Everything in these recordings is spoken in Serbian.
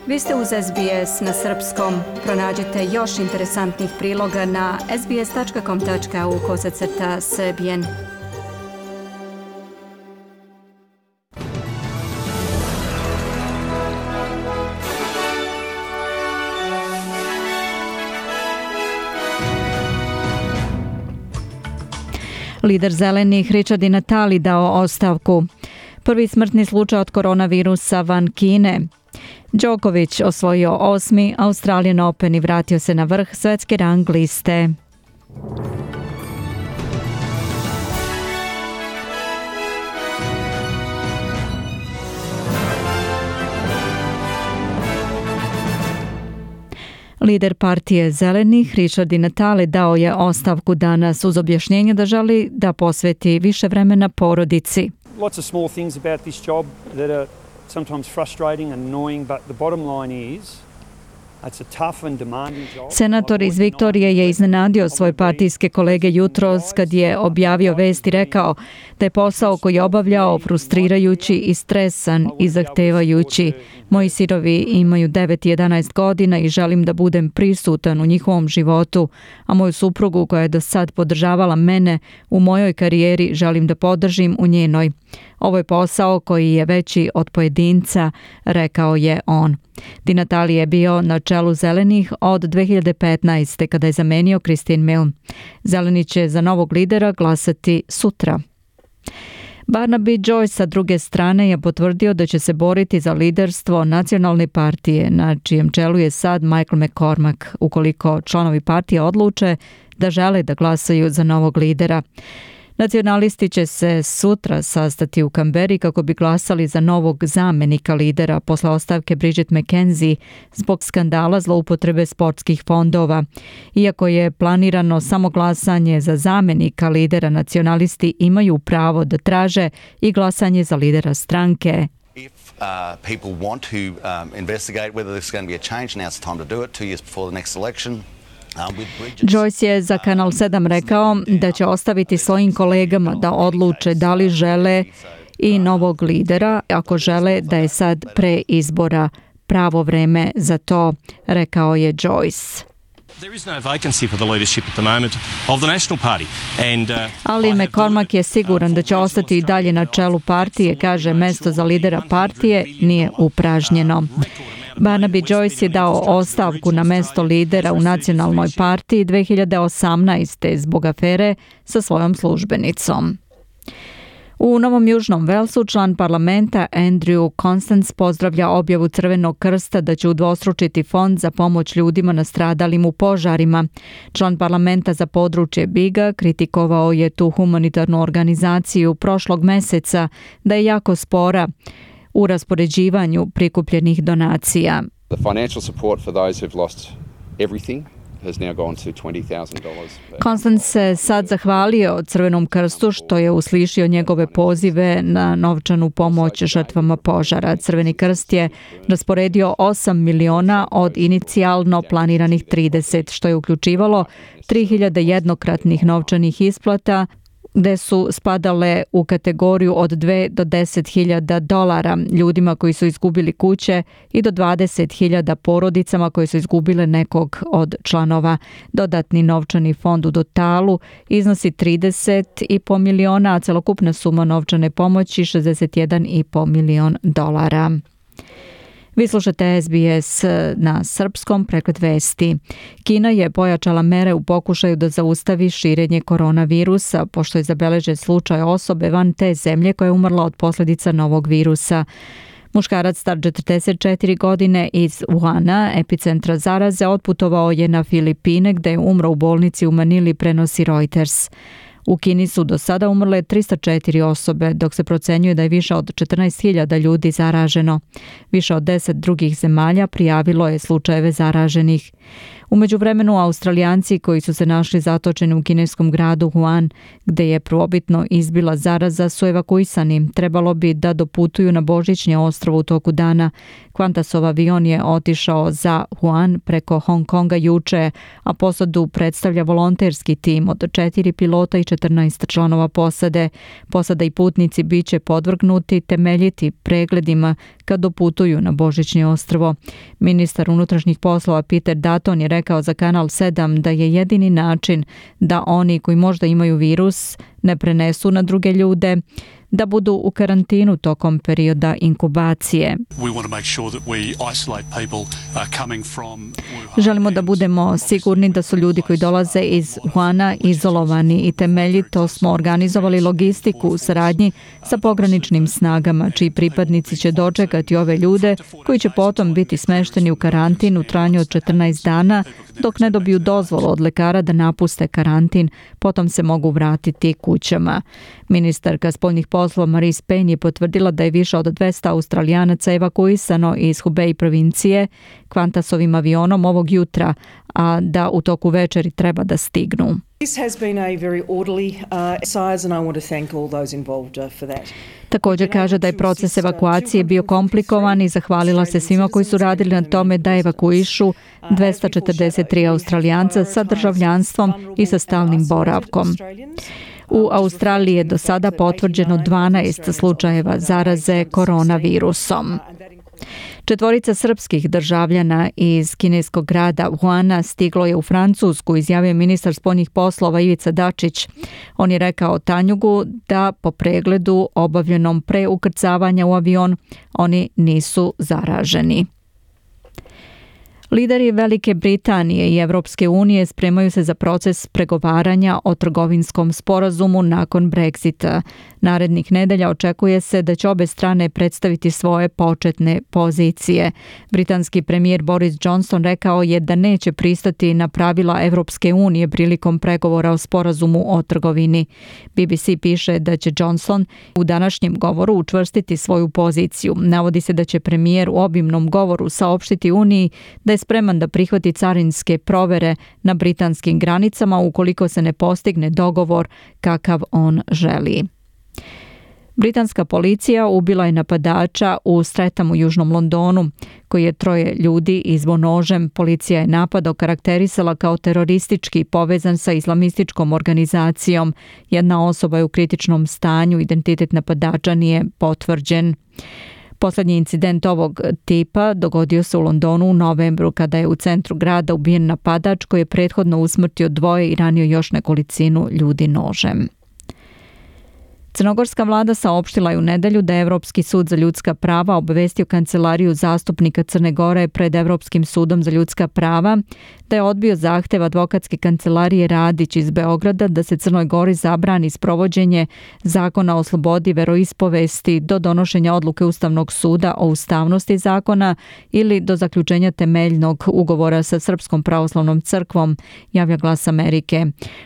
Vi ste uz SBS na srpskom. Pronađite još interesantnih priloga na sbs.com.au/srbijen. Lider zelenih Richard Di Natale dao ostavku. Prvi smrtni slučaj od koronavirusa van Kine. Djokovic osvojio 8. Australian Open i vratio se na vrh svetske rang liste. Lider partije zelenih Richard Di Natale dao je ostavku danas uz objašnjenje da želi da posveti više vremena porodici. Lots of small things about this job that are sometimes frustrating and annoying, but the bottom line is it's a tough and demanding job. Senator iz Viktorije je iznenadio svoje partijske kolege jutros kad je objavio vest i rekao da je posao koji je obavljao frustrirajući i stresan i zahtevajući. Moji sinovi imaju 9 i 11 godina i želim da budem prisutan u njihovom životu, a moju suprugu koja je do sad podržavala mene u mojoj karijeri želim da podržim u njenoj. Ovo je posao koji je veći od pojedinca, rekao je on. Di Natale je bio na čelu zelenih od 2015. kada je zamenio Christine Milne. Zeleni će za novog lidera glasati sutra. Barnaby Joyce sa druge strane je potvrdio da će se boriti za liderstvo nacionalne partije, na čijem čelu je sad Michael McCormack, ukoliko članovi partije odluče da žele da glasaju za novog lidera. Nacionalisti će se sutra sastati u Kamberi kako bi glasali za novog zamenika lidera posle ostavke Bridget McKenzie zbog skandala zloupotrebe sportskih fondova. Iako je planirano samo glasanje za zamenika lidera, nacionalisti imaju pravo da traže i glasanje za lidera stranke. If people want to investigate whether there's going to be a change, now's the time to do it, 2 years before the next election. Joyce je za Kanal 7 rekao da će ostaviti svojim kolegama da odluče da li žele i novog lidera, ako žele da je sad pre izbora pravo vreme za to, rekao je Joyce. Ali McCormack je siguran da će ostati i dalje na čelu partije, kaže mesto za lidera partije nije upražnjeno. Barnaby Joyce je dao ostavku na mesto lidera u nacionalnoj partiji 2018. zbog afere sa svojom službenicom. U Novom Južnom Velsu član parlamenta Andrew Constance pozdravlja objavu Crvenog krsta da će udvostručiti fond za pomoć ljudima nastradalim u požarima. Član parlamenta za područje Biga kritikovao je tu humanitarnu organizaciju prošlog meseca da je jako spora u raspoređivanju prikupljenih donacija. The financial support for those who've lost everything has now gone to $20,000. Constance se sad zahvalio Crvenom krstu što je uslišio njegove pozive na novčanu pomoć žrtvama požara. Crveni krst je rasporedio 8 miliona od inicijalno planiranih 30, što je uključivalo 3.000 jednokratnih novčanih isplata, gde su spadale u kategoriju od 2 do 10.000 dolara ljudima koji su izgubili kuće i do 20.000 porodicama koje su izgubile nekog od članova. Dodatni novčani fond u totalu iznosi 30,5 miliona, a celokupna suma novčane pomoći 61,5 milion dolara. Vi slušate SBS na srpskom, pregled vesti. Kina je pojačala mere u pokušaju da zaustavi širenje koronavirusa, pošto je zabeležen slučaj osobe van te zemlje koja je umrla od posljedica novog virusa. Muškarac star 44 godine iz Wuhana, epicentra zaraze, otputovao je na Filipine gde je umro u bolnici u Manili, prenosi Reuters. U Kini su do sada umrle 304 osobe, dok se procenjuje da je više od 14.000 ljudi zaraženo. Više od 10 drugih zemalja prijavilo je slučajeve zaraženih. U međuvremenu Australijanci koji su se našli zatočeni u kineskom gradu Wuhan, gde je prvobitno izbila zaraza, su evakuisani. Trebalo bi da doputuju na Božićnje ostrvo u toku dana. Qantasov avion je otišao za Wuhan preko Hong Konga juče, a posadu predstavlja volonterski tim od 4 pilota i 14 članova posade. Posada i putnici biće podvrgnuti temeljiti pregledima kad doputuju na Božićnje ostrvo. Ministar unutrašnjih poslova Peter Dutton je rekao za Kanal 7 da je jedini način da oni koji možda imaju virus ne prenesu na druge ljude, da budu u karantinu tokom perioda inkubacije. Želimo da budemo sigurni da su ljudi koji dolaze iz Wuhana izolovani i temeljito smo organizovali logistiku u saradnji sa pograničnim snagama, čiji pripadnici će dočekati ove ljude koji će potom biti smešteni u karantin u trajanju od 14 dana dok ne dobiju dozvolu od lekara da napuste karantin, potom se mogu vratiti kućama. Ministarka spoljnih poslova Marise Payne je potvrdila da je više od 200 Australijanaca evakuisano iz Hubei provincije Qantasovim avionom ovog jutra, a da u toku večeri treba da stignu. Također kaže da je proces evakuacije bio komplikovan i zahvalila se svima koji su radili na tome da evakuišu 243 Australijanca sa državljanstvom i sa stalnim boravkom. U Australiji je do sada potvrđeno 12 slučajeva zaraze koronavirusom. 4 srpskih državljana iz kineskog grada Wuhana stiglo je u Francusku, izjavio ministar spoljnih poslova Ivica Dačić. On je rekao Tanjugu da po pregledu obavljenom pre ukrcavanja u avion oni nisu zaraženi. Lideri Velike Britanije i Evropske unije spremaju se za proces pregovaranja o trgovinskom sporazumu nakon Brexita. Narednih nedelja očekuje se da će obe strane predstaviti svoje početne pozicije. Britanski premijer Boris Johnson rekao je da neće pristati na pravila Evropske unije prilikom pregovora o sporazumu o trgovini. BBC piše da će Johnson u današnjem govoru učvrstiti svoju poziciju. Navodi se da će premijer u obimnom govoru saopštiti Uniji da je spreman da prihvati carinske provere na britanskim granicama ukoliko se ne postigne dogovor kakav on želi. Britanska policija ubila je napadača u Streatham u južnom Londonu, koji je 3 ljudi izbo nožem. Policija je napad okarakterisala kao teroristički povezan sa islamističkom organizacijom. Jedna osoba je u kritičnom stanju, identitet napadača nije potvrđen. Poslednji incident ovog tipa dogodio se u Londonu u novembru kada je u centru grada ubijen napadač koji je prethodno usmrtio 2 i ranio još nekolicinu ljudi nožem. Crnogorska vlada saopštila je u nedelju da je Evropski sud za ljudska prava obavestio kancelariju zastupnika Crne Gore pred Evropskim sudom za ljudska prava da je odbio zahtev advokatske kancelarije Radić iz Beograda da se Crnoj Gori zabrani sprovođenje zakona o slobodi veroispovesti do donošenja odluke Ustavnog suda o ustavnosti zakona ili do zaključenja temeljnog ugovora sa Srpskom pravoslavnom crkvom, javlja Glas Amerike.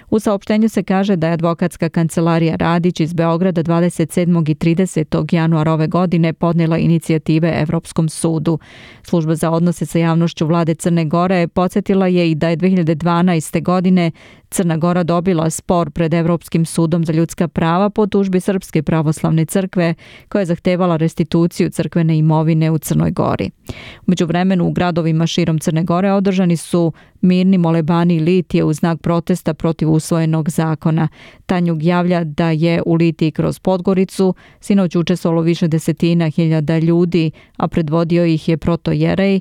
U saopštenju se kaže da je advokatska kancelarija Radić iz Beograda 27. i 30. januara ove godine podnijela inicijative Evropskom sudu. Služba za odnose sa javnošću vlade Crne Gore podsjetila je i da je 2012. godine Crna Gora dobila spor pred Evropskim sudom za ljudska prava po tužbi Srpske pravoslavne crkve koja je zahtevala restituciju crkvene imovine u Crnoj Gori. U međuvremenu u gradovima širom Crne Gore održani su mirni molebani litije u znak protesta protiv usvojenog zakona. Tanjug javlja da je u Litiji kroz Podgoricu sinoć učestvovalo više desetina hiljada ljudi, a predvodio ih je protojerej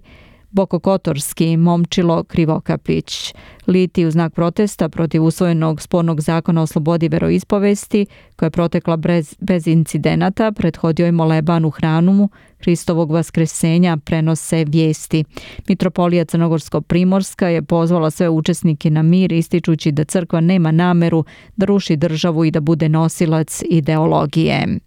Bokokotorski Momčilo Krivokapić. Litiji u znak protesta protiv usvojenog spornog zakona o slobodi veroispovesti, koja je protekla bez incidenata, prethodio je moleban u hramu Hristovog vaskresenja, prenose vijesti. Mitropolija Crnogorsko-Primorska je pozvala sve učesnike na mir, ističući da crkva nema nameru da ruši državu i da bude nosilac ideologije.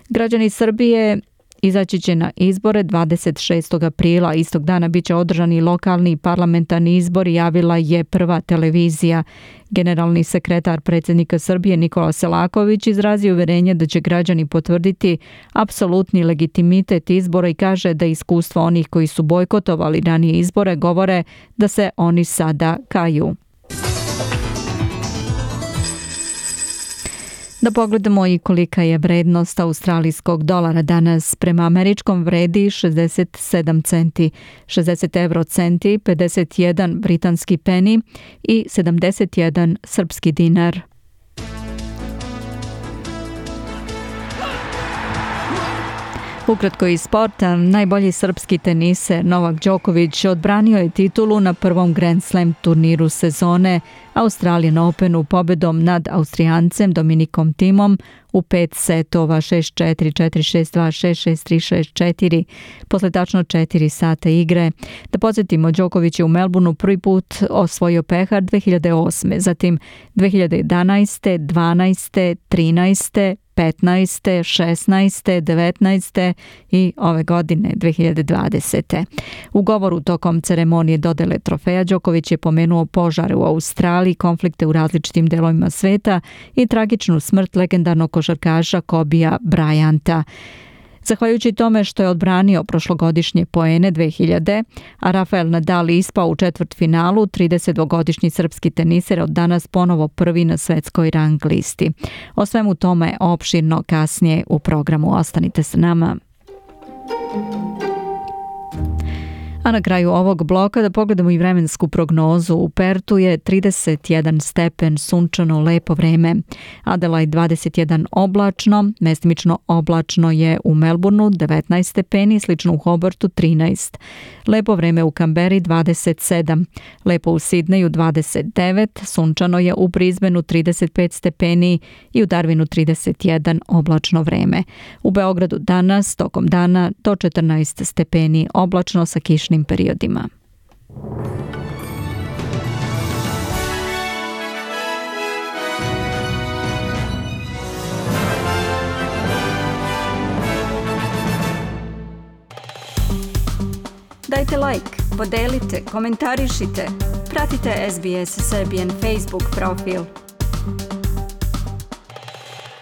Građani Srbije izaći će na izbore 26. aprila. Istog dana bit će održani lokalni i parlamentarni izbori, javila je Prva televizija. Generalni sekretar predsjednika Srbije Nikola Selaković izrazio uverenje da će građani potvrditi apsolutni legitimitet izbora i kaže da iskustvo onih koji su bojkotovali ranije izbore govore da se oni sada kaju. Da pogledamo i kolika je vrednost australijskog dolara danas. Prema američkom vredi 67 centi, 60 eurocenti, 51 britanski peni i 71 srpski dinar. Ukratko iz sporta, najbolji srpski teniser Novak Đoković odbranio je titulu na prvom Grand Slam turniru sezone Australian Openu pobedom nad Austrijancem Dominikom Thimom u 5 setova 6-4, 4-6, 2-6, 6-3, 6-4 posle tačno 4 sata igre. Da podsjetimo, Đoković je u Melbourneu prvi put osvojio pehar 2008. Zatim 2011, 12, 13, 15, 16, 19 i ove godine 2020. U govoru tokom ceremonije dodele trofeja Đoković je pomenuo požare u Australiji, konflikte u različitim delovima sveta i tragičnu smrt legendarnog košarkaša Kobija Bryanta. Zahvaljujući tome što je odbranio prošlogodišnje poene 2000, a Rafael Nadal ispao u četvrtfinalu, 32-godišnji srpski teniser od danas ponovo prvi na svetskoj rang listi. O svemu tome opširno kasnije u programu. Ostanite sa nama. A na kraju ovog bloka da pogledamo i vremensku prognozu. U Pertu je 31 stepen, sunčano, lepo vreme. Adelaide 21 oblačno, mestimično oblačno je u Melbourneu 19 stepeni, slično u Hobartu 13. Lepo vreme u Kamberi 27, lepo u Sidneju 29, sunčano je u Brisbaneu 35 stepeni i u Darwinu 31 oblačno vreme. U Beogradu danas tokom dana do 14 stepeni oblačno sa kišnim periodima. Dajte like, podelite, komentarišite. Pratite SBS Serbian Facebook profil.